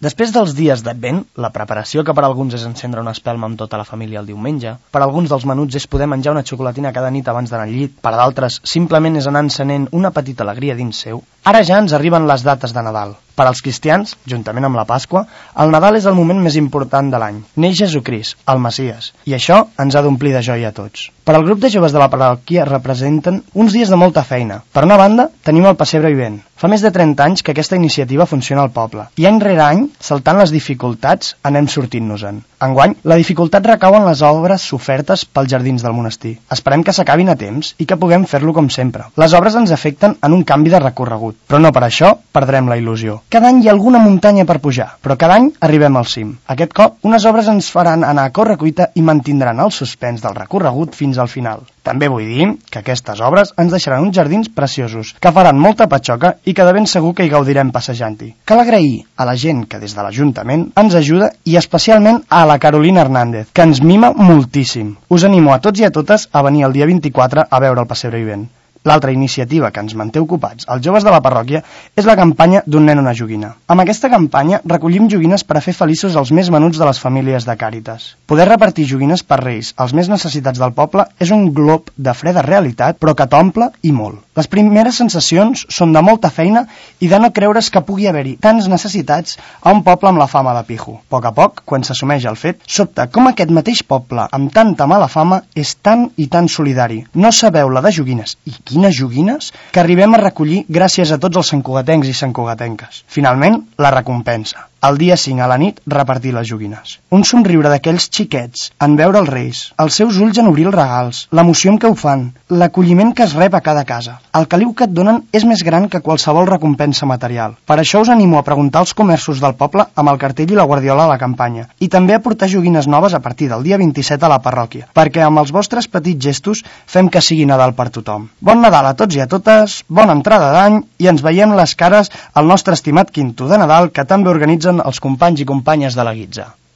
Després dels dies d'Advent, la preparació que per alguns és encendre una espelma amb tota la família el diumenge, per alguns dels menuts és poder menjar una xocolatina cada nit abans d'anar al llit, per d'altres simplement és anar encenent una petita alegria dins seu, ara ja ens arriben les dates de Nadal. Per als cristians, juntament amb la Pasqua, el Nadal és el moment més important de l'any. Neix Jesucrist, el Messies, i això ens ha d'omplir de joia a tots. Per al grup de joves de la parròquia representen uns dies de molta feina. Per una banda, tenim el Pessebre Vivent. Fa més de 30 anys que aquesta iniciativa funciona al poble, i any rere any, saltant les dificultats, anem sortint-nos-en. Enguany, la dificultat recau en les obres sofertes pels jardins del monestir. Esperem que s'acabin a temps i que puguem fer-lo com sempre. Les obres ens afecten en un canvi de recorregut, però no per això perdrem la il·lusió. Cada any hi ha alguna muntanya per pujar, però cada any arribem al cim. Aquest cop, unes obres ens faran anar a correcuita i mantindran el suspens del recorregut fins al final. També vull dir que aquestes obres ens deixaran uns jardins preciosos, que faran molta patxoca i que de ben segur que hi gaudirem passejant-hi. Cal agrair a la gent que des de l'Ajuntament ens ajuda i especialment a la Carolina Hernández, que ens mima moltíssim. Us animo a tots i a totes a venir el dia 24 a veure el Pessebre Vivent. L'altra iniciativa que ens manté ocupats, els joves de la parròquia, és la campanya d'un nen una joguina. Amb aquesta campanya recollim joguines per a fer feliços els més menuts de les famílies de Càritas. Poder repartir joguines per Reis als més necessitats del poble és un glob de freda realitat, però que t'omple i molt. Les primeres sensacions són de molta feina i de no creure's que pugui haver-hi tants necessitats a un poble amb la fama de pijo. A poc, quan s'assumeix el fet, sobta com aquest mateix poble, amb tanta mala fama, és tan i tan solidari. No sabeu la de joguines, i quines joguines, que arribem a recollir gràcies a tots els santcugatencs i santcugatenques. Finalment, la recompensa. El dia 5 a la nit, repartir les joguines. Un somriure d'aquells xiquets en veure els Reis, els seus ulls en obrir els regals, l'emoció amb què ho fan, l'acolliment que es rep a cada casa. El caliu que et donen és més gran que qualsevol recompensa material. Per això us animo a preguntar als comerços del poble amb el cartell i la guardiola a la campanya, i també a portar joguines noves a partir del dia 27 a la parròquia, perquè amb els vostres petits gestos fem que sigui Nadal per tothom. Bon Nadal a tots i a totes, bona entrada d'any, i ens veiem les cares al nostre estimat quinto de Nadal que també organitzen els companys i companyes de la Guitza.